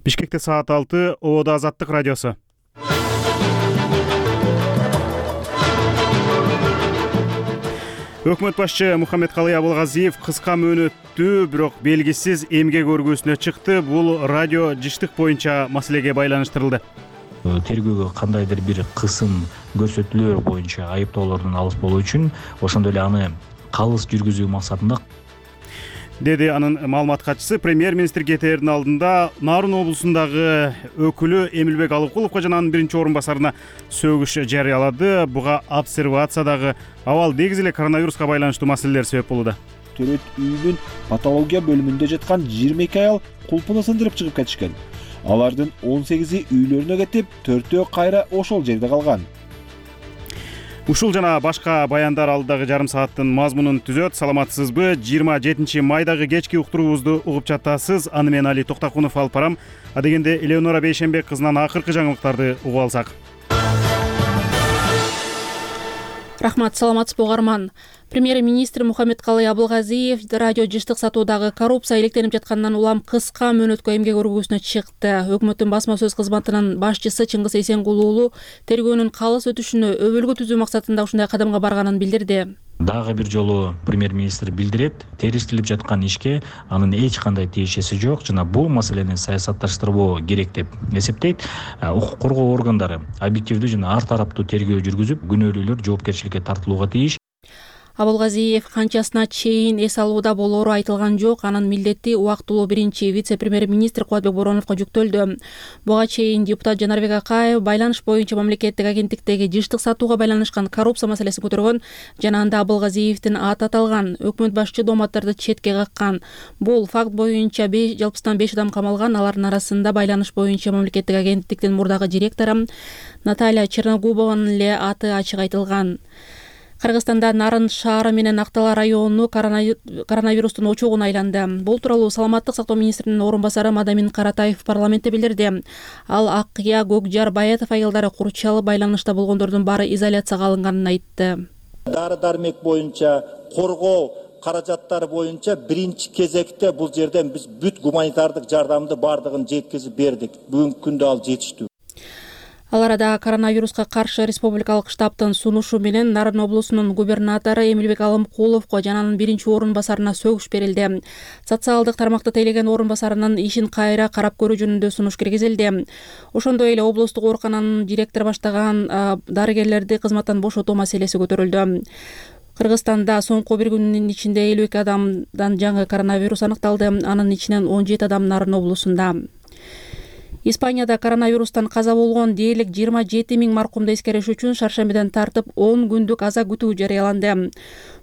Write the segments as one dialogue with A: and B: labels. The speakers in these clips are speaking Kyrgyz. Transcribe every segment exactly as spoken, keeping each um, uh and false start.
A: Бишкекте саат алты, Ободо Азаттык радиосу. Өкмөт башчы Мухаммедкалый Абылгазиев кыска мөөнөттүү, бирок белгисиз эмгек өргүүсүнө чыкты. Бул радио жыштык боюнча маселеге байланыштырылды.
B: Тергөөгө кандайдыр бир кысым көрсөтүүлөр боюнча айыптоолордун алыс болуу үчүн ошондой эле аны калыс жүргүзүү максатында,
A: деди анын маалымат катчысы. Премьер-министр кетээрдин алдында Нарын облусундагы өкүлү Эмилбек Алыкуловго жана анын биринчи орун басарына сөгүш жарыялады. Буга обсервациядагы абал негизи эле коронавируска байланыштуу маселелер себеп болууда.
C: Төрөт үйүнүн патология бөлүмүндө жаткан жыйырма эки аял кулпуну сындырып чыгып кетишкен. Алардын он сегизи үйлөрүнө кетип, төртөө кайра ошол жерде калган.
A: Ушул жана башка баяндар алдыдагы жарым сааттын мазмунун түзөт. Саламатсызбы? жыйырма жетинчи майдагы кечки уктуруубузду угуп жатасыз. Аны мен Али Токтакунов алып барам. А дегенде Элеонора Бейшенбек кызынан акыркы жаңылыктарды угуп алсак.
D: Рахмат, саламатсызбы угарман. Премьер-министр Мухаммедкалый Абылгазиев радио жыштык сатуудагы коррупция иликтенип жаткандан улам кыска мөөнөткө эмгек өргүүсүнө чыкты. Өкмөттүн басма сөз кызматынын башчысы Чыңгыз Эсенгул уулу тергөөнүн калыс өтүшүнө өбөлгө түзүү максатында ушундай кадамга барганын билдирди.
B: Дагы бир жолу премьер-министр билдирет, териштирип жаткан ишке анын эч кандай тиешеси жок жана бул маселени саясатташтырбоо керек деп эсептейт. Укук коргоо органдары объективдүү жана ар тараптуу тергөө жүргүзүп, күнөөлүүлөр жоопкерчиликке тартылууга тийиш.
D: Абылгазиев канчасына чейин эс алууда болоору айтылган жок. Анын милдети убактылуу биринчи вице-премьер-министр Кубатбек Бороновго жүктөлдү. Буга чейин депутат Жанарбек Акаев байланыш боюнча мамлекеттик агенттиктеги жыштык сатууга байланышкан коррупция маселесин көтөргөн жана анда Абылгазиевдин аты аталган. Өкмөт башчы дооматтарды четке каккан. Бул факт боюнча жалпысынан беш адам камалган. Алардын арасында байланыш боюнча мамлекеттик агенттиктин мурдагы директору Наталья Черногубованын эле аты ачык айтылган. Кыргызстанда Нарын шаары менен Актала району коронавирустун очогуна айланды. Бул тууралуу Саламаттык сактоо министринин орун басары Мадамин Каратаев парламентте билдирди. Ал Акыя, Көкжар, Баятов айылдары курчалып байланышта болгондордун баары изоляцияга алынганын айтты.
E: Дары-дармек боюнча коргоо каражаттары боюнча биринчи кезекте бул жерден биз бүт гуманитардык жардамды бардыгын жеткизип бердик. Бүгүнкү күндө ал жетиштүү.
D: Ал арада коронавируска каршы республикалык штабтын сунушу менен Нарын облусунун губернатору Эмилбек Алымкуловго жана анын биринчи орун басарына сөгүш берилди. Социалдык тармакты тейлеген орун басарынын ишин кайра карап көрүү жөнүндө сунуш киргизилди. Ошондой эле облустук оорукананын директору баштаган дарыгерлерди кызматтан бошотуу маселеси көтөрүлдү. Кыргызстанда соңку бир күндүн ичинде элүү эки адамдан жаңы коронавирус аныкталды. Анын ичинен он жети адам Нарын облусунда. Испанияда коронавирустан каза болгон дээрлик жыйырма жети миң маркумду эскериш үчүн шаршембиден тартып он күндүк аза күтүү жарыяланды.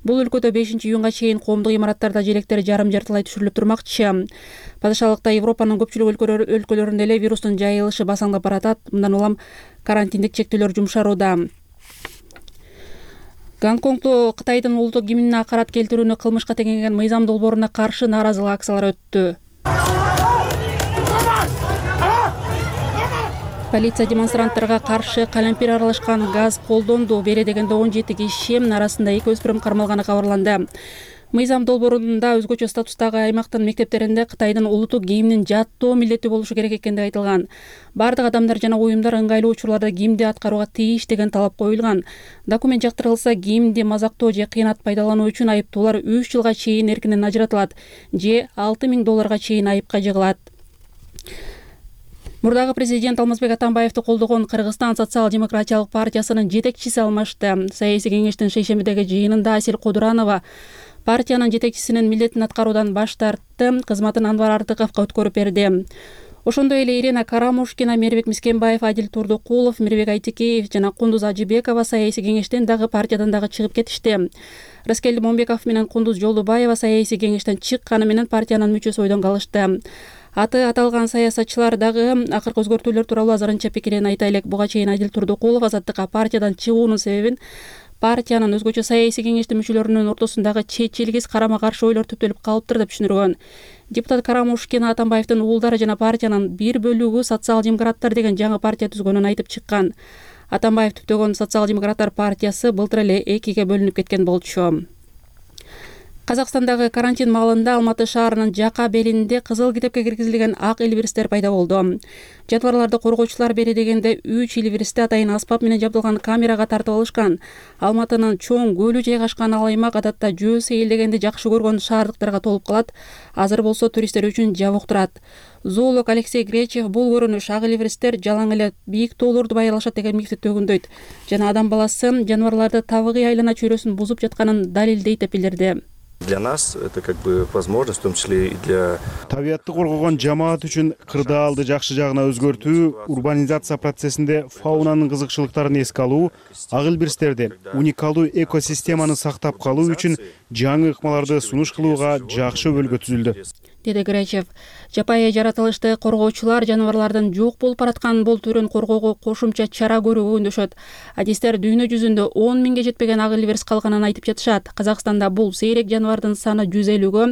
D: Бул өлкөдө бешинчи июнга чейин коомдук имараттарда желектер жарым жартылай түшүрүлүп турмакчы. Падышалыкта Европанын көпчүлүк өлкөлөрүндө эле вирустун жайылышы басаңдап баратат. Мындан улам карантиндик чектөөлөр жумшарууда. Гонконгдо Кытайдын улуттук гимнине акарат келтирүүнү кылмышка теңеген мыйзам долбооруна каршы нааразылык акциялары өттү. Полиция демонстранттарга каршы калемпир аралашкан газ колдонду. Бере дегенде он жети киши арасында эки өспүрүм кармалганы кабарланды. Мыйзам долбоорунда өзгөчө статустагы аймактын мектептеринде Кытайдын улуттук гимнин жаттоо милдети болушу керек экенди айтылган. Бардык адамдар жана уюмдар ыңгайлуу учурларда гимнди аткарууга тийиш деген талап коюлган. Документ жактырылса, гимнди мазактоо же кыйнат пайдалануу үчүн айыптуулар үч жылга чейин эркинен ажыратылат же алты миң долларга чейин айыпка жыгылат. Мурдагы президент Алмазбек Атамбаевди колдогон Кыргызстан социал-демократиялык партиясынын жетекчиси алмашты. Саясий кеңештин шейшембидеги жыйынында Асел Кодуранова партиянын жетекчисинин милдетин аткаруудан баш тартты, кызматын Анвар Артыковго өткөрүп берди. Ошондой эле Ирина Карамушкина, Мирбек Мискенбаев, Адил Турдукулов, Мирбек Айтикеев жана Кундуз Ажыбекова саясий кеңештен дагы партиядан дагы чыгып кетишти. Раскелди Момбеков менен Кундуз Жолдубаева саясий кеңештен чыкканы менен партиянын мүчөсү ойдон калышты. Аты аталган саясатчылар дагы акыркы өзгөртүүлөр тууралуу азырынча пикирин айта элек. Буга чейин Адил Турдукулов Азаттыкка партиядан чыгуунун себебин партиянын өзгөчө саясий кеңештин мүчөлөрүнүн ортосундагы чечилгис карама каршы ойлор түптөлүп калыптыр деп түшүндүргөн. Депутат Карамушкина Атамбаевдин уулдары жана партиянын бир бөлүгү социал-демократтар деген жаңы партия түзгөнүн айтып чыккан. Атамбаев түптөгөн социал-демократтар партиясы былтыр эле экиге бөлүнүп кеткен болчу. Казакстандагы карантин маалында Алматы шаарынын Жака белинде кызыл китепке киргизилген ак илбирстер пайда болду. Жаныбарларды коргоочулар бери дегенде үч илбирсти атайын аспап менен жабдылган камерага тартып алышкан. Алматынын чоң көлү жайгашкан ал аймак адатта жөө сейилдегенди жакшы көргөн шаардыктарга толуп калат. Азыр болсо туристтер үчүн жабык турат. Зоолог Алексей Гречев бул көрүнүш ак илбирстер жалаң эле бийик тоолорду байырлашат деген мифти төгүндөйт жана адам баласы жаныбарларды табигый айлана чөйрөсүн бузуп жатканын далилдейт деп билдирди.
F: Для нас это как бы возможность, в том числе и для...
A: Табиатты коргогон жамаат үчүн кырдаалды жакшы жагына өзгөртүү, урбанизация процессинде фаунанын кызыкчылыктарын эске алуу, ак илбирстерди уникалдуу экосистеманы сактап калуу үчүн жаңы ыкмаларды сунуш кылууга жакшы өбөлгө түзүлдү,
D: деди Гречев. Жапайы жаратылышты коргоочулар жаныбарлардын жок болуп бараткан бул түрүн коргоого кошумча чара көрүүгө үндөшөт. Адистер дүйнө жүзүндө он миңге жетпеген ак илбирс калганын айтып жатышат. Казакстанда бул сейрек жаныбардын саны жүз элүүгө,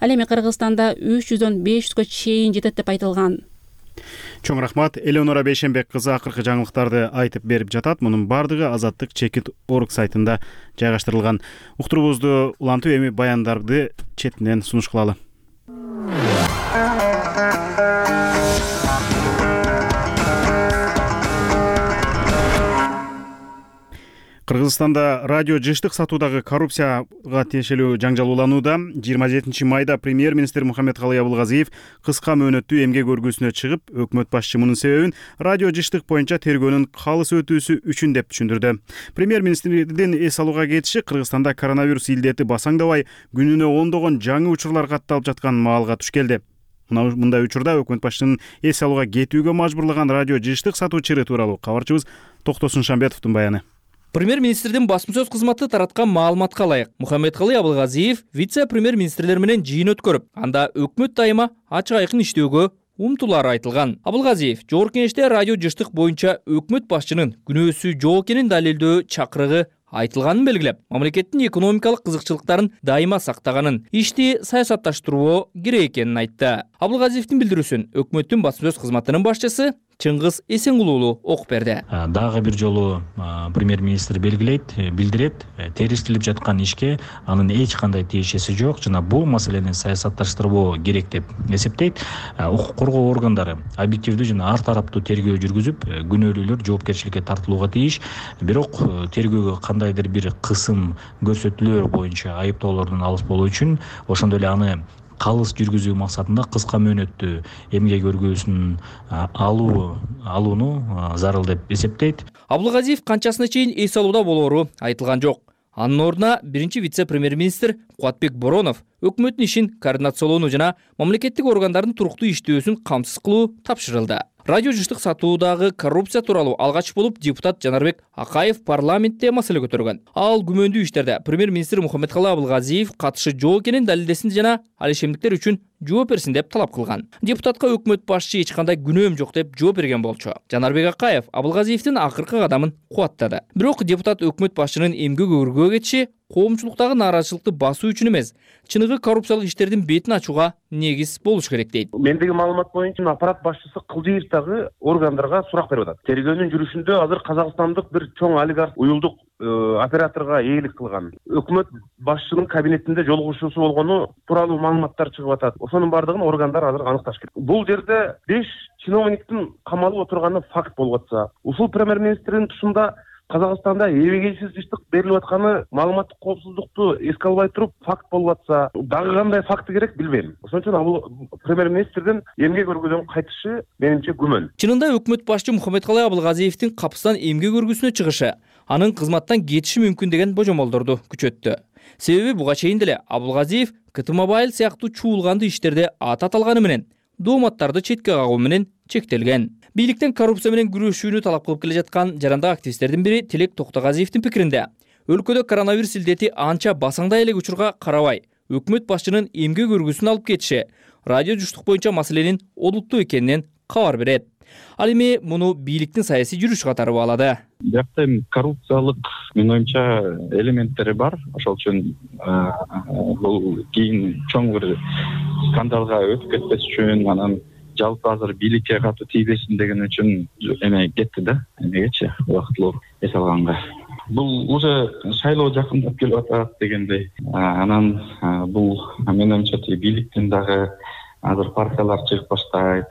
D: ал эми Кыргызстанда үч жүздөн беш жүзгө чейин жетет деп айтылган.
A: Чоң рахмат. Элеонора Бейшенбек кызы акыркы жаңылыктарды айтып берип жатат. Мунун бардыгы Азаттык чекит орг сайтында жайгаштырылган. Уктуруубузду улантып эми баяндарды четинен сунуш кылалы. Кыргызстанда радио жыштык сатуудагы коррупцияга тиешелүү жаңжал уланууда. жыйырма жетинчи майда премьер-министр Мухаммедкалый Абылгазиев кыска мөөнөттүү эмгек өргүүсүнө чыгып, өкмөт башчы мунун себебин радио жыштык боюнча тергөөнүн калыс өтүүсү үчүн деп түшүндүрдү. Премьер-министрдин эс алууга кетиши Кыргызстанда коронавирус илдети басаңдабай, күнүнө ондогон жаңы учурлар катталып жаткан маалга туш келди. Мындай учурда өкмөт башчынын эс алууга кетүүгө мажбурлаган радио жыштык сатуу чыры тууралуу кабарчыбыз Токтосун Шамбетовдун баяны.
G: Премьер-министрдин басма сөз кызматы тараткан маалыматка ылайык, Мухаммедкалый Абылгазиев вице-премьер-министрлер менен жыйын өткөрүп, анда өкмөт дайыма ачык айкын иштөөгө умтулары айтылган. Абылгазиев Жогорку Кеңеште радио жыштык боюнча өкмөт башчынын күнөөсү жок экенин далилдөө чакырыгы айтылганын белгилеп, мамлекеттин экономикалык кызыкчылыктарын дайыма сактаганын, ишти саясатташтыруу керек экенин айтты. Абылгазиевдин билдирүүсүн өкмөттүн басма сөз кызматынын башчысы Чыңгыз Эсенгулуулу окуп берди.
B: Дагы бир жолу премьер-министр белгилейт, билдирет, териштирип жаткан ишке анын эч кандай тиешеси жок жана бул маселени саясатташтыруу керек деп эсептейт. Укук коргоо органдары объективдүү жана ар тараптуу тергөө жүргүзүп, күнөөлүүлөр жоопкерчиликке тартылууга тийиш. Бирок тергөөгө кандайдыр бир кысым көрсөтүүлөр боюнча айыптоолордун алыс болуу үчүн ошондой эле аны калыс жүргүзүү максатында кыска мөөнөттүү эмгек өргүүсүн алуу алууну зарыл деп эсептейт.
G: Абылгазиев канчасына чейин эс алууда болоору айтылган жок. Анын ордуна биринчи вице-премьер-министр Кубатбек Боронов өкмөттүн ишин координациялоону жана мамлекеттик органдардын туруктуу иштөөсүн камсыз кылуу тапшырылды. Радио жыштык сатуудагы коррупция тууралуу алгач болуп депутат Жанарбек Акаев парламентте маселе көтөргөн. Ал күмөндүү иштерде премьер-министр Мухаммедкалый Абылгазиев катышы жок экенин далилдесин жана ал ишемдиктер үчүн жооп берсин деп талап кылган. Депутатка өкмөт башчы эч кандай күнөөм жок деп жооп берген болчу. Жанарбек Акаев Абылгазиевдин акыркы кадамын кубаттады. Бирок депутат өкмөт башчынын эмгек өргүүгө кетиши коомчулуктагы нааразычылыкты басуу үчүн эмес, чыныгы коррупциялык иштердин бетин ачууга негиз болуш керек дейт.
H: Мендеги маалымат боюнча аппарат башчысы Кылдыевдагы органдарга сурак берип атат. Тергөөнүн жүрүшүндө азыр казакстандык бир чоң олигарх уюлдук операторго ээлик кылган. Өкмөт башчынын кабинетинде жолугушуусу болгону тууралуу маалыматтар чыгып атат. Ошонун бардыгын органдар азыр аныкташ керек. Бул жерде беш чиновниктин камалып отурганы факт болуп атса, ушул премьер-министрдин тушунда Казакстанда эбегейсиз жыштык берилип атканы маалыматтык коопсуздукту эске албай туруп факт болуп атса, дагы кандай факты керек билбейм. Ошон үчүн бул премьер-министрдин эмгек өргүүдөн кайтышы менимче күмөн.
G: Чынында өкмөт башчы Мухаммедкалый Абылгазиевдин капыстан эмгек өргүүсүнө чыгышы анын кызматтан кетиши мүмкүн деген божомолдорду күчөттү. Себеби буга чейин деле Абылгазиев КТ Мобайл сыяктуу чуулганды иштерде ат аталганы менен дооматтарды четке кагуу менен чектелген. Бийликтен коррупция менен күрөшүүнү талап кылып келе жаткан жарандык активисттердин бири Тилек Токтогазиевдин пикиринде, өлкөдө коронавирус илдети анча басаңдай элек учурга карабай, өкмөт башчынын эмгек өргүүсүн алып кетиши радио жыштык боюнча маселенин олуттуу экенинен кабар берет. Ал эми муну бийликтин саясий жүрүш катары баалады.
I: Бирок коррупциялык менин оюмча элементтери бар. Ошол үчүн бул кийин чоң бир скандалга өтүп кетпес үчүн, анан жалпы азыр бийликке катуу тийбесин деген үчүн эме кетти да, эмегечи убактылуу эс алганга. бул уже шайлоо жакындап келип атат дегендей. Анан бул менимче бийликтин дагы азыр партиялар чыгып баштайт.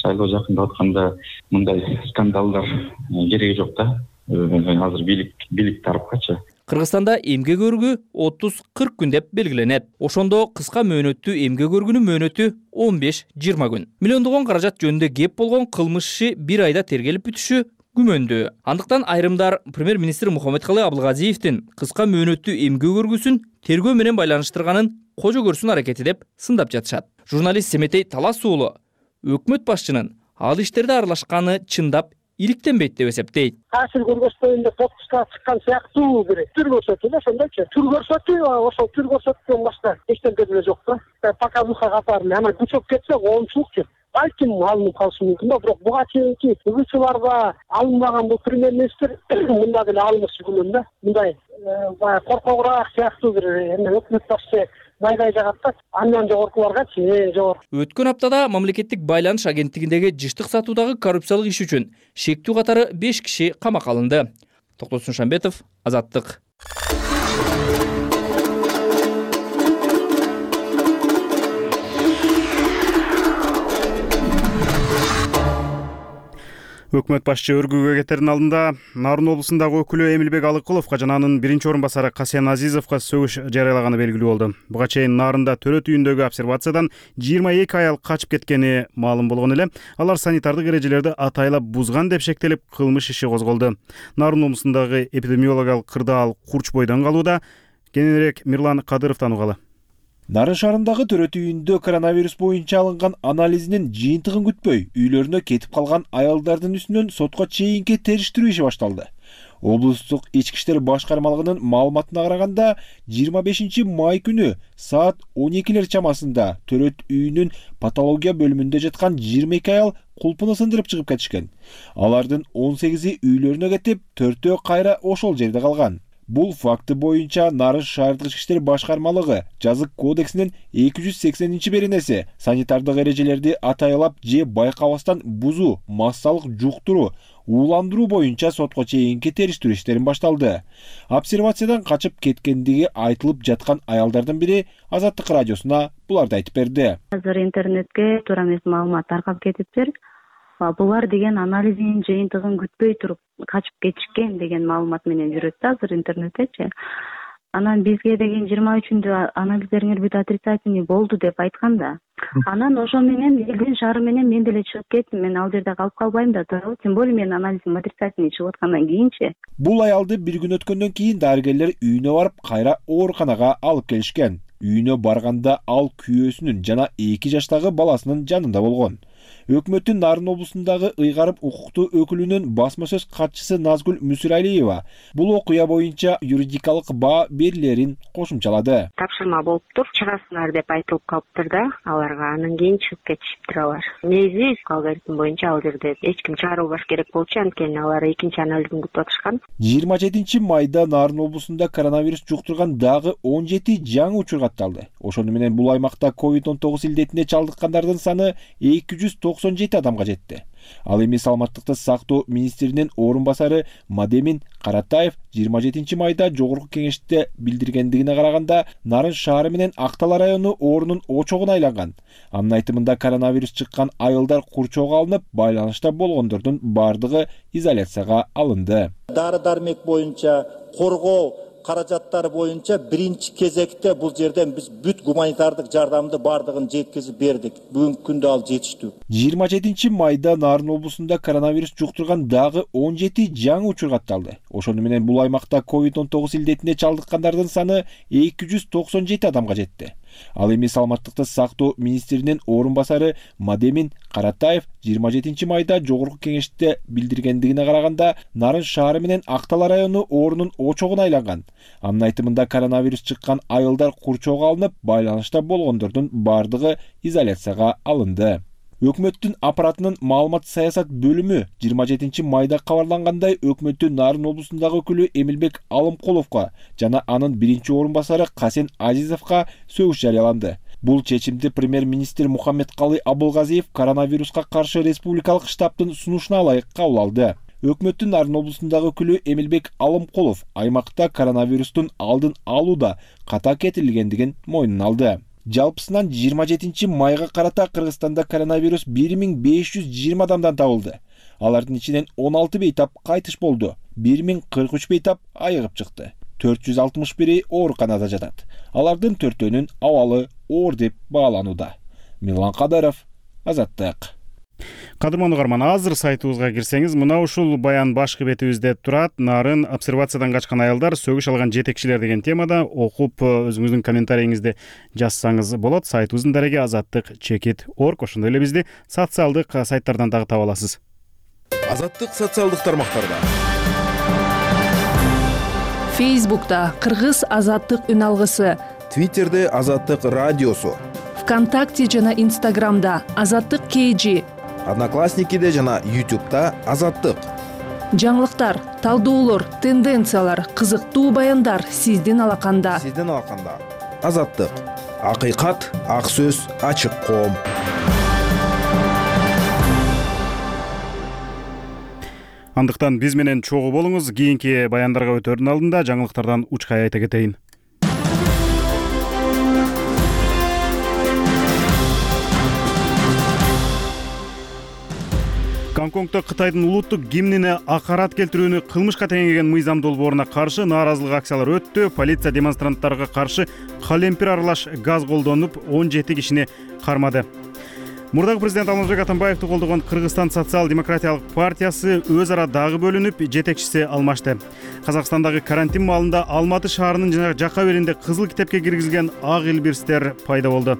I: Шайлоо жакындап атканда мындай скандалдар кереги жок да. Азыр бийлик бийлик тарапкачы.
G: Кыргызстанда эмгек өргүү отуз кырк күн деп белгиленет. Ошондо кыска мөөнөттүү эмгек өргүүнүн мөөнөтү он беш жыйырма күн. Миллиондогон каражат жөнүндө кеп болгон кылмыш иши бир айда тергелип бүтүшү күмөндүү. Андыктан айрымдар премьер-министр Мухаммедкалый Абылгазиевдин кыска мөөнөттүү эмгек өргүүсүн тергөө менен байланыштырганын кожо көрсүн аракети деп сындап жатышат. Журналист Семетей Талас уулу өкмөт башчынын ал иштерде аралашканы чындап иликтенбейт деп эсептейт.
J: Таасир көргөзбөйүн деп отпускка чыккан сыяктуу бир түр көрсөтүү да, ошондойчу. Түр көрсөтүү, ошол түр көрсөткөндөн башка эчтеке деле жок да. Показуха катары эле, ана күчөп кетсе коомчулукчу. Балким алынып калышы мүмкүн да, бирок буга чейинки угуучуларга алынбаган бул премьер-министр мында деле алынышы күнүн да. Мындай баягы коркогураак сыяктуу бир эме өкмөт башчы майдай жагат да, андан жогоркуларгачы э жогору.
G: Өткөн аптада мамлекеттик байланыш агенттигиндеги жыштык сатуудагы коррупциялык иш үчүн шектүү катары беш киши камакка алынды. Токтосун Шамбетов, Азаттык.
A: Өкмөт башчы өргүүгө кетердин алдында Нарын облусундагы өкүлү Эмилбек Алыкуловго жана анын биринчи орун басары Касен Азизовго сөгүш жарыялаганы белгилүү болду. Буга чейин Нарында төрөт үйүндөгү обсервациядан жыйырма эки аял качып кеткени маалым болгон эле. Алар санитардык эрежелерди атайлап бузган деп шектелип, кылмыш иши козголду. Нарын облусундагы эпидемиологиялык кырдаал курч бойдон калууда. Кененирээк Мирлан Кадыровдон угалы.
C: Нарын шаарындагы төрөт үйүндө коронавирус боюнча алынган анализинин жыйынтыгын күтпөй, үйлөрүнө кетип калган аялдардын үстүнөн сотко чейинки териштирүү иши башталды. Облустук ички иштер башкармалыгынын маалыматына караганда, жыйырма бешинчи май күнү саат он экилер чамасында төрөт үйүнүн патология бөлүмүндө жаткан жыйырма эки аял кулпуну сындырып чыгып кетишкен. Алардын он сегизи үйлөрүнө кетип, төртөө кайра ошол жерде калган. Бул факты боюнча Нарын шаардык ички иштер башкармалыгы жазык кодексинин эки жүз сексенинчи беренеси санитардык эрежелерди атайлап же байкабастан бузуу, массалык жуктуруу, ууландыруу боюнча сотко чейинки териштирүү иштерин башталды. Обсервациядан качып кеткендиги айтылып жаткан аялдардын бири Азаттык радиосуна буларды айтып берди.
K: Азыр интернетке туура эмес маалымат таркап кетиптир. Булар деген анализинин жыйынтыгын күтпөй туруп качып кетишкен деген маалымат менен жүрөт да азыр интернеттечи. Анан бизге деген жыйырма үчүндө анализдериңер бүт отрицательный болду деп айткан да. Анан ошо менен элдин шаары менен мен деле чыгып кеттим. Мен ал жерде калып калбайм да, туурабы? Тем более менин анализим отрицательный чыгып аткандан кийинчи.
C: Бул аялды бир күн өткөндөн кийин дарыгерлер үйүнө барып кайра ооруканага алып келишкен. Үйүнө барганда ал күйөөсүнүн жана эки жаштагы баласынын жанында болгон. Өкмөттүн Нарын облусундагы ыйгарым укуктуу өкүлүнүн басма сөз катчысы Назгүл Мүсүралиева бул окуя боюнча юридикалык баа берилерин кошумчалады.
L: Тапшырма болуптур, чыгасыңар деп айтылып калыптыр да аларга, анан кийин чыгып кетишиптир алар. Негизи алгоритм боюнча ал жерде эч ким чыгарылбаш керек болчу, анткени алар экинчи анализин күтүп атышкан.
C: жыйырма жетинчи майда Нарын облусунда коронавирус жуктурган дагы он жети жаңы учур катталды. Ошону менен бул аймакта ковид он тогуз илдетине чалдыккандардын саны эки жүз токсон жети адамга жетти. Ал эми саламаттыкты сактоо министринин орун басары Мадемин Каратаев жыйырма жетинчи майда жогорку кеңеште билдиргендигине караганда, Нарын шаары менен Актала району оорунун очогуна айланган. Анын айтымында коронавирус чыккан айылдар курчоого алынып, байланышта болгондордун бардыгы изоляцияга алынды.
E: Дары-дармек боюнча коргоо каражаттары боюнча биринчи кезекте бул жерден биз бүт гуманитардык жардамды бардыгын жеткизип бердик. Бүгүнкү күндө ал жетиштүү.
C: жыйырма жетинчи майда Нарын облусунда коронавирус жуктурган дагы он жети жаңы учур катталды. Ошону менен бул аймакта ковид он тогуз илдетине чалдыккандардын саны эки жүз токсон жети адамга жетти. Ал эми саламаттыкты сактоо министринин орун басары Мадемин Каратаев жыйырма жетинчи майда жогорку кеңеште билдиргендигине караганда, Нарын шаары менен Актала району оорунун очогуна айланган. Анын айтымында коронавирус чыккан айылдар курчоого алынып, байланышта болгондордун бардыгы изоляцияга алынды. Өкмөттүн аппаратынын маалымат саясат бөлүмү жыйырма жетинчи майда кабарлангандай, өкмөттүн Нарын облусундагы өкүлү Эмилбек Алымкуловго жана анын биринчи орун басары Касен Азизовго сөгүш жарыяланды. Бул чечимди премьер-министр Мухаммедкалый Абылгазиев коронавируска каршы республикалык штабтын сунушуна ылайык кабыл алды. Өкмөттүн Нарын облусундагы өкүлү Эмилбек Алымкулов аймакта коронавирустун алдын алууда ката кетирилгендигин мойнуна алды. Жалпысынан жыйырма жетинчи майга карата Кыргызстанда коронавирус бир миң беш жүз жыйырма адамдан табылды. Алардын ичинен он алты бейтап кайтыш болду. бир миң кырк үч бейтап айыгып чыкты. төрт жүз алтымыш бири ооруканада жатат. Алардын төртөөнүн абалы оор деп бааланууда. Милан Кадыров, Азаттык.
A: Кадырман угарман, азыр сайтыбызга кирсеңиз, мына ушул баян башкы бетибизде турат. Нарын обсервациядан качкан аялдар сөгүш алган жетекчилер деген темада окуп өзүңүздүн комментарийиңизди жазсаңыз болот. Сайтыбыздын дареги азаттык чекит орг. Ошондой эле бизди социалдык сайттардан дагы таба аласыз.
M: Азаттык социалдык тармактарда.
N: Фейсбукта Кыргыз азаттык үн алгысы,
M: Твиттерде азаттык радиосу,
N: ВКонтакте жана Инстаграмда азаттык кж,
M: Одноклассникиде жана Ютубта азаттык.
N: Жаңылыктар, талдоолор, тенденциялар, кызыктуу баяндар сиздин алаканда.
M: Сиздин алаканда. Азаттык. Акыйкат, ак сөз, ачык коом.
A: Андыктан биз менен чогуу болуңуз. Кийинки баяндарга өтөрдүн алдында жаңылыктардан учкай айта кетейин. Гонконгдо Кытайдын улуттук гимнине акарат келтирүүнү кылмышка теңеген мыйзам долбооруна каршы нааразылык акциялары өттү. Полиция демонстранттарга каршы калемпир аралаш газ колдонуп, он жети кишини кармады. Мурдагы президент Алмазбек Атамбаевди колдогон Кыргызстан социал-демократиялык партиясы өз ара дагы бөлүнүп, жетекчиси алмашты. Казакстандагы карантин маалында Алматы шаарынын жана жакка беринде кызыл китепке киргизилген ак илбирстер пайда болду.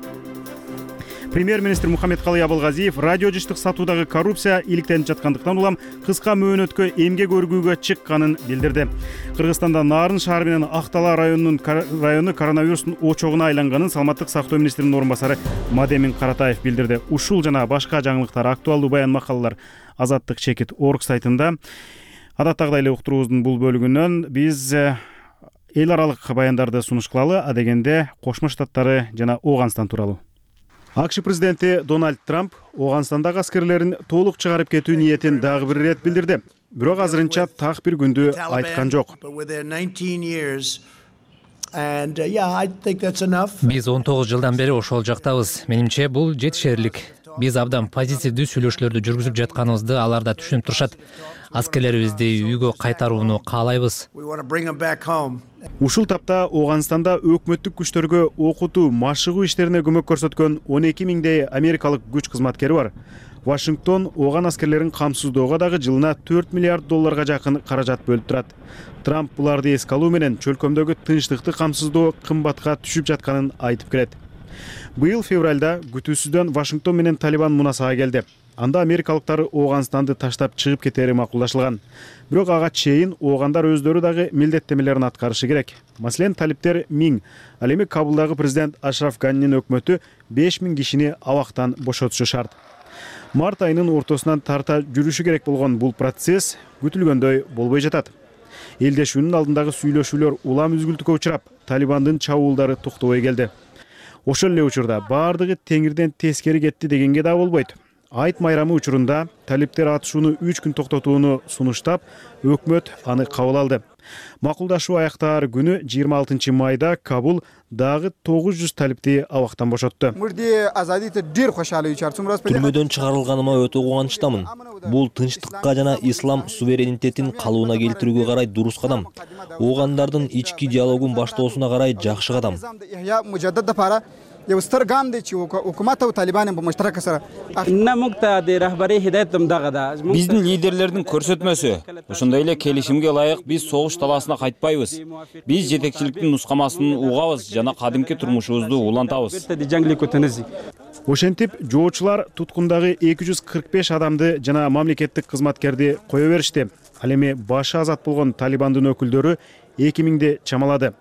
A: Премьер-министр Мухаммедкалый Абылгазиев радио жыштык сатуудагы коррупция иликтенип жаткандыктан улам кыска мөөнөткө эмгек өргүүгө чыкканын билдирди. Кыргызстанда Нарын шаары менен Актала районунун району коронавирустун очогуна айланганын саламаттык сактоо министринин орун басары Мадемин Каратаев билдирди. Ушул жана башка жаңылыктар, актуалдуу баян макалалар азаттык чекит орг сайтында. Адаттагыдай эле уктуруубуздун бул бөлүгүнөн биз эл аралык баяндарды сунуш кылалы, адегенде Кошмо Штаттары жана Ооганстан тууралуу. АКШ президенти Дональд Трамп Ооганстандагы аскерлерин толук чыгарып кетүү ниетин дагы бир ирет билдирди. Бирок азырынча так бир күндү айткан жок.
O: Биз он тогуз жылдан бери ошол жактабыз. Менимче бул жетишерлик. Биз абдан позитивдүү сүйлөшүүлөрдү жүргүзүп жатканыбызды алар да түшүнүп турушат. Аскерлерибизди үйгө кайтарууну каалайбыз.
A: Ушул тапта Ооганстанда өкмөттүк күчтөргө окутуу, машыгуу иштерине көмөк көрсөткөн он эки миңдей америкалык күч кызматкери бар. Вашингтон Ооган аскерлерин камсыздоого дагы жылына төрт миллиард долларга жакын каражат бөлүп турат. Трамп буларды эске алуу менен чөлкөмдөгү тынчтыкты камсыздоо кымбатка түшүп жатканын айтып келет. Быйыл февралда күтүүсүздөн Вашингтон менен Талибан мунасага келди. Анда америкалыктар Ооганстанды таштап чыгып кетери макулдашылган. Бирок ага чейин оогандар өздөрү дагы милдеттемелерин аткарышы керек. Маселен, талиптер миң, ал эми Кабулдагы президент Ашраф Ганинин өкмөтү беш миң кишини абактан бошотушу шарт. Март айынын ортосунан тарта жүрүшү керек болгон бул процесс күтүлгөндөй болбой жатат. Элдешүүнүн алдындагы сүйлөшүүлөр улам үзгүлтүккө учурап, Талибандын чабуулдары токтобой келди. Ошол эле учурда баардыгы теңирден тескери кетти дегенге да болбойт. Айт майрамы учурунда талиптер атышууну үч күн токтотууну сунуштап, өкмөт аны кабыл алды. Макулдашуу аяктаар күнү жыйырма алтынчы майда Кабул дагы тогуз жүз талипти абактан бошотту.
P: Түрмөдөн чыгарылганыма өтө кубанычтамын. Бул тынчтыкка жана ислам суверенитетин калыбына келтирүүгө карай дурус кадам. Оогандардын ички диалогун баштоосуна карай жакшы кадам.
Q: Биздин лидерлердин көрсөтмөсү. Ошондой эле келишимге ылайык биз согуш талаасына кайтпайбыз. Биз жетекчиликтин нускамасын угабыз жана кадимки турмушубузду улантабыз.
A: Ошентип, жоочулар туткундагы эки жүз кырк беш адамды жана мамлекеттик кызматкерди кое беришти. Ал эми башы азат болгон Талибандын өкүлдөрү эки миңди чамалады.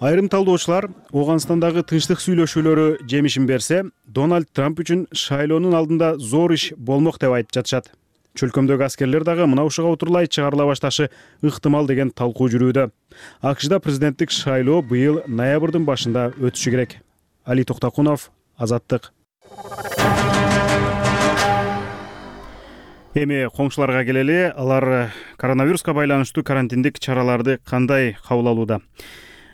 A: Айрым талдоочулар Ооганстандагы тынчтык сүйлөшүүлөрү жемишин берсе, Дональд Трамп үчүн шайлоонун алдында зор иш болмок деп айтып жатышат. Чөлкөмдөгү аскерлер дагы мына ушуга утурлай чыгарыла башташы ыктымал деген талкуу жүрүүдө. АКШда президенттик шайлоо быйыл ноябрдын башында өтүшү керек. Али Токтокунов, Азаттык. Эми коңшуларга келели. Алар коронавируска байланыштуу карантиндик чараларды кандай кабыл алууда?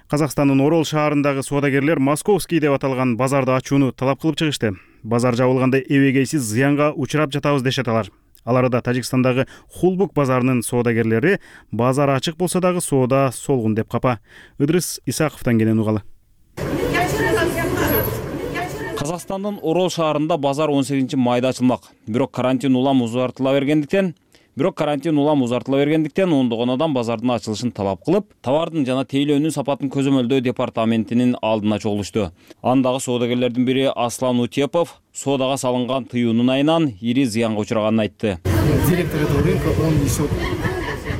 A: Казакстандын Орол шаарындагы соодагерлер Московский деп аталган базарды ачууну талап кылып чыгышты. Базар жабылганда эбегейсиз зыянга учурап жатабыз дешет алар. Аларда Тажикстандагы Хулбук базарынын соодагерлери базар ачык болсо дагы соода солгун деп капа. Ыдрыс Исаковдон келген угалы.
Q: Казакстандын Орол шаарында базар он сегизинчи майда ачылмак. Бирок карантин улам узартыла бергендиктен, бирок карантин улам узартыла бергендиктен ондогон адам базардын ачылышын талап кылып, товардын жана тейлөөнүн сапатын көзөмөлдөө департаментинин алдына чогулушту. Андагы соодагерлердин бири Аслан Утепов соодага салынган тыюунун айынан ири зыянга учураганын айтты.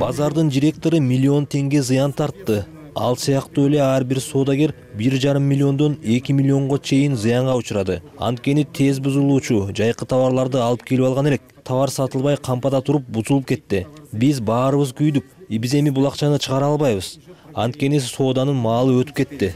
P: Базардын директору миллион теңге зыян тартты. Ал сыяктуу эле ар бир соодагер бир жарым миллиондон эки миллионго чейин зыянга учурады. Анткени тез бузулуучу жайкы товарларды алып келип алган элек. Товар сатылбай кампада туруп бузулуп кетти. Биз баарыбыз күйдүк. Биз эми бул акчаны чыгара албайбыз. Анткени сооданын маалы өтүп кетти.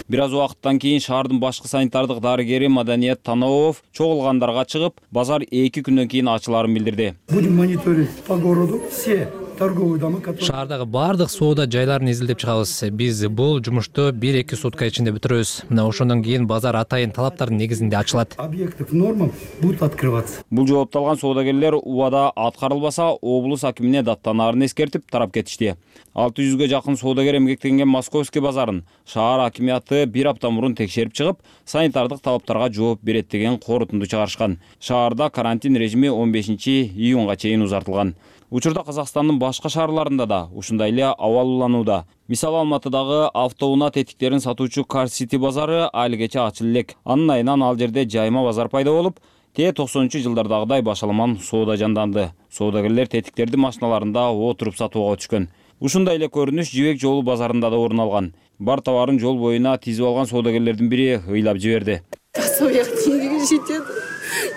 Q: Бир аз убакыттан кийин шаардын башкы санитардык дарыгери Маданият Таноов чогулгандарга чыгып, базар эки күндөн кийин ачыларын билдирди.
R: Будем мониторить по городу все.
O: Шаардагы бардык соода жайларын изилдеп чыгабыз. Биз бул жумушту бир-эки сутка ичинде бүтүрөбүз. Мына ошондон кийин базар атайын талаптардын негизинде ачылат.
R: Объектов нормам будут открываться.
Q: Бул жоопту алган соодагерлер убада аткарылбаса, облус акимине даттанаарын эскертип тарап кетишти. алты жүзгө жакын соодагер эмгектенген Московский базарын шаар акимияты бир апта мурун текшерип чыгып, санитардык талаптарга жооп берет деген корутунду чыгарышкан. Шаарда карантин режими он бешинчи июнга чейин узартылган. Учурда Казакстандын башка шаарларында да ушундай эле абал уланууда. Мисалы Алматыдагы автоунаа тетиктерин сатуучу Car City базары алигече ачылып элек. Анын айынан ал жерде жайма базар пайда болуп, те токсонунчу жылдардагыдай башаламан соода жанданды. Соодагерлер тетиктерди машиналарында отуруп сатууга түшкөн. Ушундай эле көрүнүш Жибек жолу базарында да орун алган. Бар товарын жол боюна тизип алган соодагерлердин бири ыйлап жиберди.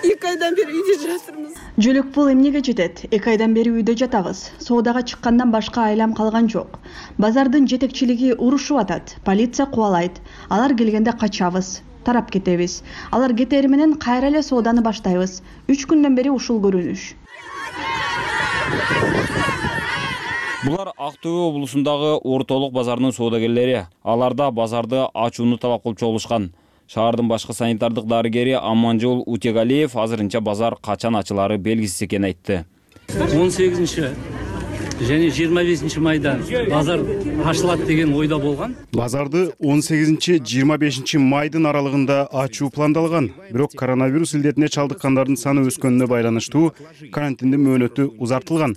S: эки айдан бери үйдө жатырмыз.
T: Жөлөк пул эмнеге жетет? эки айдан бери үйдө жатабыз. Соодага чыккандан башка айлам калган жок. Базардын жетекчилиги урушуп атат. Полиция кубалайт. Алар келгенде качабыз, тарап кетебиз. Алар кетери менен кайра эле сооданы баштайбыз. үч күндөн бери ушул көрүнүш.
Q: Булар Ак Төө облусундагы ортолук базарынын соодагерлери. Аларда базарды ачууну талап кылып чогулушкан. Шаардын башкы санитардык дарыгери Аманжол Утегалиев азырынча базар качан ачылары белгисиз экенин айтты.
U: он сегизинчи және жыйырма бешинчи майда базар ачылат деген ойда болгон.
A: Базарды он сегизинчи жыйырма бешинчи майдын аралыгында ачуу пландалган. Бирок коронавирус илдетине чалдыккандардын саны өскөнүнө байланыштуу карантиндин мөөнөтү узартылган.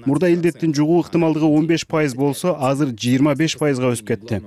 A: Мурда илдеттин жугуу ыктымалдыгы он беш пайыз болсо, азыр жыйырма беш пайызга өсүп кетти.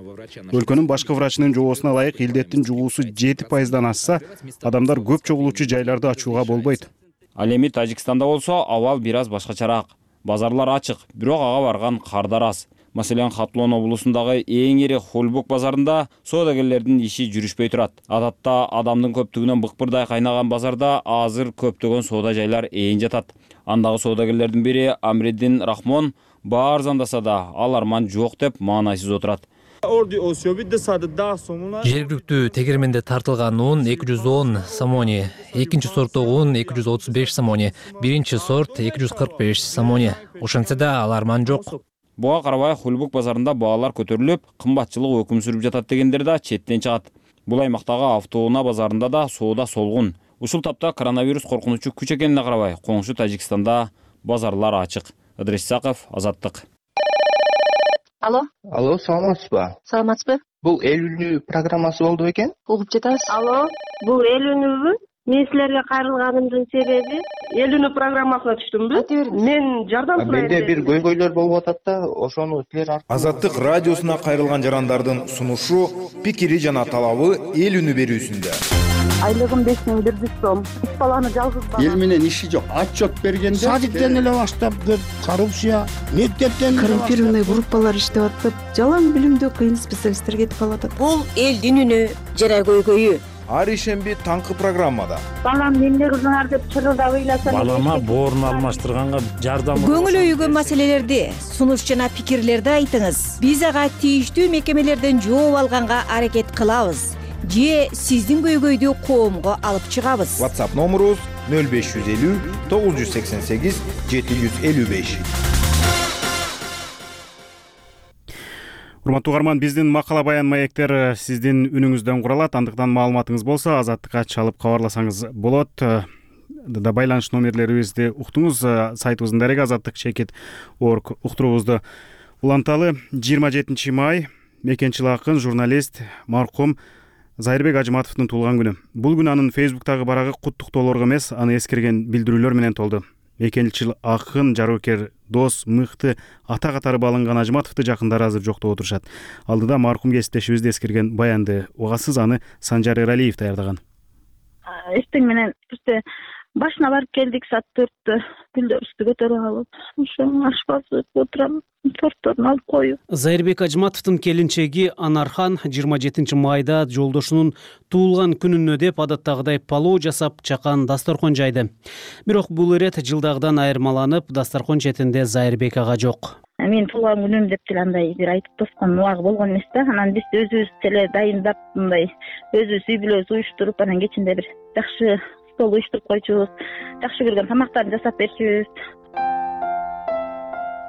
A: Өлкөнүн башкы врачынын жообосуна ылайык илдеттин жугуусу жети пайыздан ашса, адамдар көп чогулуучу жайларды ачууга болбойт.
Q: Ал эми Тажикстанда болсо абал бир аз башкачараак. Базарлар ачык, бирок ага барган кардар аз. Маселен, Хатлон облусундагы эң ири Хулбук базарында соодагерлердин иши жүрүшпөй турат. Адатта адамдын көптүгүнөн быкпырдай кайнаган базарда азыр көптөгөн соода жайлар ээн жатат. Андагы соодагерлердин бири Амриддин Рахмон баар зандаса да ал арман жок деп маанайсыз отурат.
O: Жергиликтүү тегерменде тартылган он эки жүз он самони, экинчи сорттогу он эки жүз отуз беш самони, биринчи сорт эки жүз кырк беш самони. Ошентсе да ал арман жок.
Q: Буга карабай Хулбук базарында баалар көтөрүлүп, кымбатчылык өкүм сүрүп жатат дегендер да четтен чыгат. Бул аймактагы автоунаа базарында да соода солгун. Ушул тапта коронавирус коркунучу күч экенине карабай, коңшу Тажикстанда базарлар ачык. Ыдрыс Исаков, Азаттык.
V: Алло.
W: Алло, саламатсызбы?
V: Саламатсызбы?
W: Бул эл үнү программасы болду экен?
V: Угуп жатабыз.
L: Алло, бул эл үнүбү? Мен силерге кайрылганымдын себеби эл үнү программасына түштүмбү? Мен жардам сурайм.
W: Менде бир көйгөйлөр болуп атат да, ошону силер
M: Азаттык радиосуна кайрылган жарандардын сунушу, пикири жана талабы эл үнү берүүсүндө.
V: Айлыгым беш миң бир жүз сом. Үч баланы жалгыз бала.
X: Эл менен иши жок. Отчет бергенде
Y: садиктен эле баштап кеп, коррупция, мектептен
Z: коррумпированный группалар иштеп атып, жалаң билимдүү кыйын специалисттер кетип калат.
V: Бул элдин үнү, жара көйгөйү.
M: Ар ишемби таңкы программада.
L: Балам эмне кылдыңар деп чырылдап ыйласам.
U: Балама боорун алмаштырганга жардам.
V: Көңүл өйгөн маселелерди, сунуш жана пикирлерди айтыңыз. Биз ага тийиштүү мекемелерден жооп алганга аракет кылабыз. Же сиздин көйгөйдү коомго алып чыгабыз.
M: WhatsApp номерубуз нөл беш жүз элүү тогуз жүз сексен сегиз жети жүз элүү беш.
A: Урматтуу угарман, биздин макала баян маектер сиздин үнүңүздөн куралат. Андыктан маалыматыңыз болсо Азаттыкка чалып кабарласаңыз болот. Да байланыш номерлерибизди уктуңуз. Сайтыбыздын дареги азаттык чекит орг уктуруубузду уланталы. жыйырма жетинчи май мекенчил акын, журналист маркум Зайырбек Ажыматовдун туулган күнү. Бул күн анын Фейсбуктагы барагы куттуктоолорго эмес, аны эскерген билдирүүлөр менен толду. Мекенчил акын, жарыкер, дос, мыкты, ата катары бааланган Ажыматовду жакындары азыр жоктоп отурушат. Алдыда маркум кесиптешибизди эскерген баянды угасыз, аны Санжар Эралиев даярдаган.
B: Эртең менен бизде башына барып келдик, саат төрттө гүлдөрүбүздү көтөрүп алып, ошо ашпазып отурам, тортторун алып коюп.
D: Зайырбек Ажыматовдун келинчеги Анархан жыйырма жетинчи майда жолдошунун туулган күнүнө деп адаттагыдай палоо жасап, чакан дасторкон жайды. Бирок бул ирет жылдагыдан айырмаланып, дасторкон четинде Зайырбек ага жок.
B: Мен туулган күнүм деп деле андай бир айтып тоскон убагы болгон эмес да. Анан биз өзүбүз деле дайындап, мындай өзүбүз үй бүлөбүз уюштуруп, анан кечинде бир жакшы стол уюштуруп койчубуз, жакшы көргөн тамактарды жасап берчүбүз.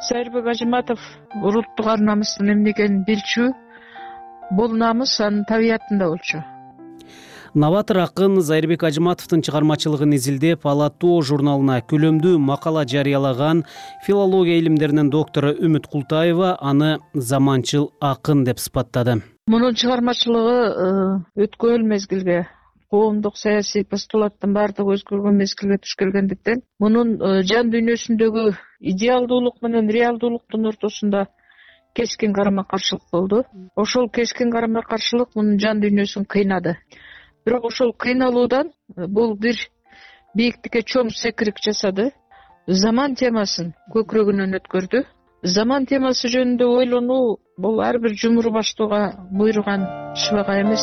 F: Зайырбек Ажыматов улуттук ар намыстын эмне экенин билчү, бул намыс анын табиятында болчу.
D: Новатор акын Зайырбек Ажыматовдун чыгармачылыгын изилдеп, Ала тоо журналына күлөмдүү макала жарыялаган филология илимдеринин доктору Үмүт Култаева аны заманчыл акын деп сыпаттады.
F: Мунун чыгармачылыгы өткөн мезгилге, коомдук саясий постулаттын баардыгы өзгөргөн мезгилге туш келгендиктен, мунун жан дүйнөсүндөгү идеалдуулук менен реалдуулуктун ортосунда кескин карама-каршылык болду. Ошол кескин карама-каршылык мунун жан дүйнөсүн кыйнады. Бирок ошол кыйналуудан бул бир бийиктикке чоң секирик жасады. Заман темасын көкүрөгүнөн өткөрдү. Заман темасы жөнүндө ойлонуу бул ар бир жумур баштууга буйруган шыбага эмес.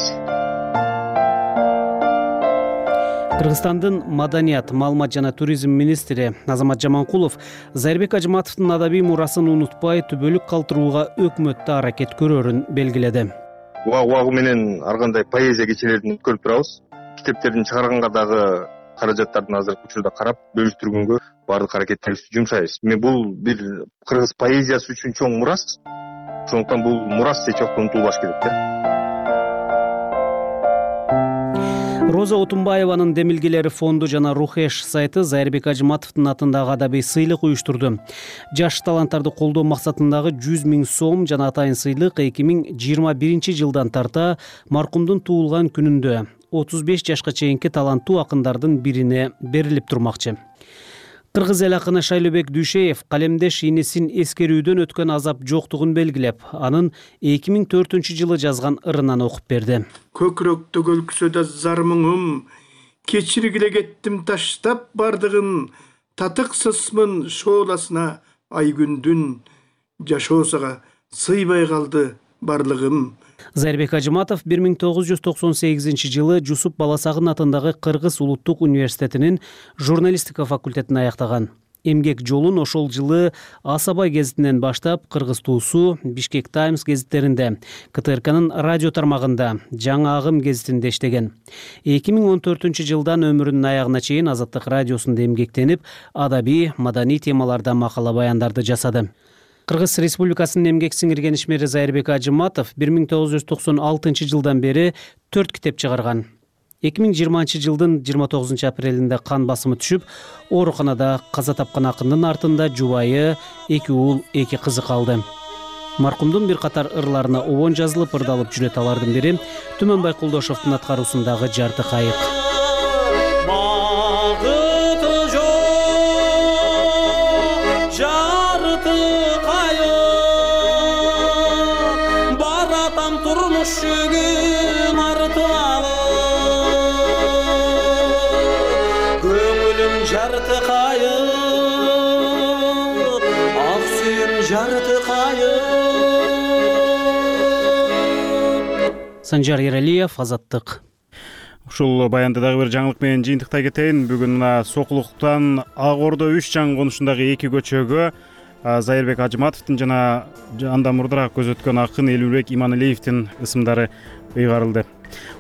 D: Кыргызстандын маданият, маалымат жана туризм министри Азамат Жаманкулов Зайырбек Ажыматовдун адабий мурасын унутпай түбөлүк калтырууга өкмөттө аракет көрөрүн белгиледи.
W: Убагы убагы менен ар кандай поэзия кечелерин өткөрүп турабыз. Китептердин чыгарганга дагы каражаттардын азыркы учурда карап бөлүштүргөнгө баардык аракеттерибизди жумшайбыз. Мен бул бир кыргыз поэзиясы үчүн чоң мурас. Ошондуктан бул мурас эч убакта унутулбаш керек да.
D: Роза Отунбаеванын демилгелери фонду жана Рухеш сайты Зайырбек Ажыматовдун атындагы адабий сыйлык уюштурду. Жаш таланттарды колдоо максатындагы жүз миң сом жана атайын сыйлык эки миң жыйырма биринчи жылдан тарта маркумдун туулган күнүндө отуз беш жашка чейинки таланттуу акындардын бирине берилип турмакчы. Кыргыз эл акыны Шайлообек Дүйшеев калемдеш инесин эскерүүдөн өткөн азап жоктугун белгилеп, анын эки миң төртүнчү жылы жазган ырынан окуп берди.
Y: Көкүрөктө көлкүсөдө зар мұңым, кечиргиле кеттим таштап бардыгын, татыксызмын шооласына ай күндүн, жашоосага сыйбай калды барлыгым.
D: Зайырбек Ажыматов бир миң тогуз жүз токсон сегизинчи жылы Жусуп Баласагын атындагы Кыргыз улуттук университетинин журналистика факультетин аяктаган. Эмгек жолун ошол жылы Асабай гезитинен баштап Кыргыз туусу, Бишкек Таймс гезиттеринде, К Т Р Кнын радио тармагында, Жаңы Агым гезитинде иштеген. эки миң он төртүнчү жылдан өмүрүнүн аягына чейин Азаттык радиосунда эмгектенип, адабий, маданий темаларда макала баяндарды жасады. Кыргыз Республикасынын эмгек сиңирген ишмери Зайырбек Ажыматов бир миң тогуз жүз токсон алтынчы жылдан бери төрт китеп чыгарган. эки миң жыйырманчы жылдын жыйырма тогузунчу апрелинде кан басымы түшүп, ооруканада каза тапкан акындын артында жубайы, эки уул, эки кызы калды. Маркумдун бир катар ырларына обон жазылып, ырдалып жүрөт. Алардын бири Түмөнбай Кулдошовдун аткаруусундагы Жарты кайык.
H: Жарты кайык, ак сүйүм жарты кайык.
D: Санжар Эралиев, Азаттык.
A: Ушул баянды дагы бир жаңылык менен жыйынтыктай кетейин. Бүгүн мына Сокулуктан Ак Ордо үч жаңы конушундагы эки көчөгө Зайырбек Ажыматовдун жана андан мурдараак көз өткөн акын Элүүлбек Иманалиевдин ысымдары ыйгарылды.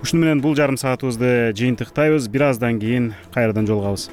A: Ушуну менен бул жарым саатыбызды жыйынтыктайбыз. Бир аздан кийин кайрадан жолугабыз.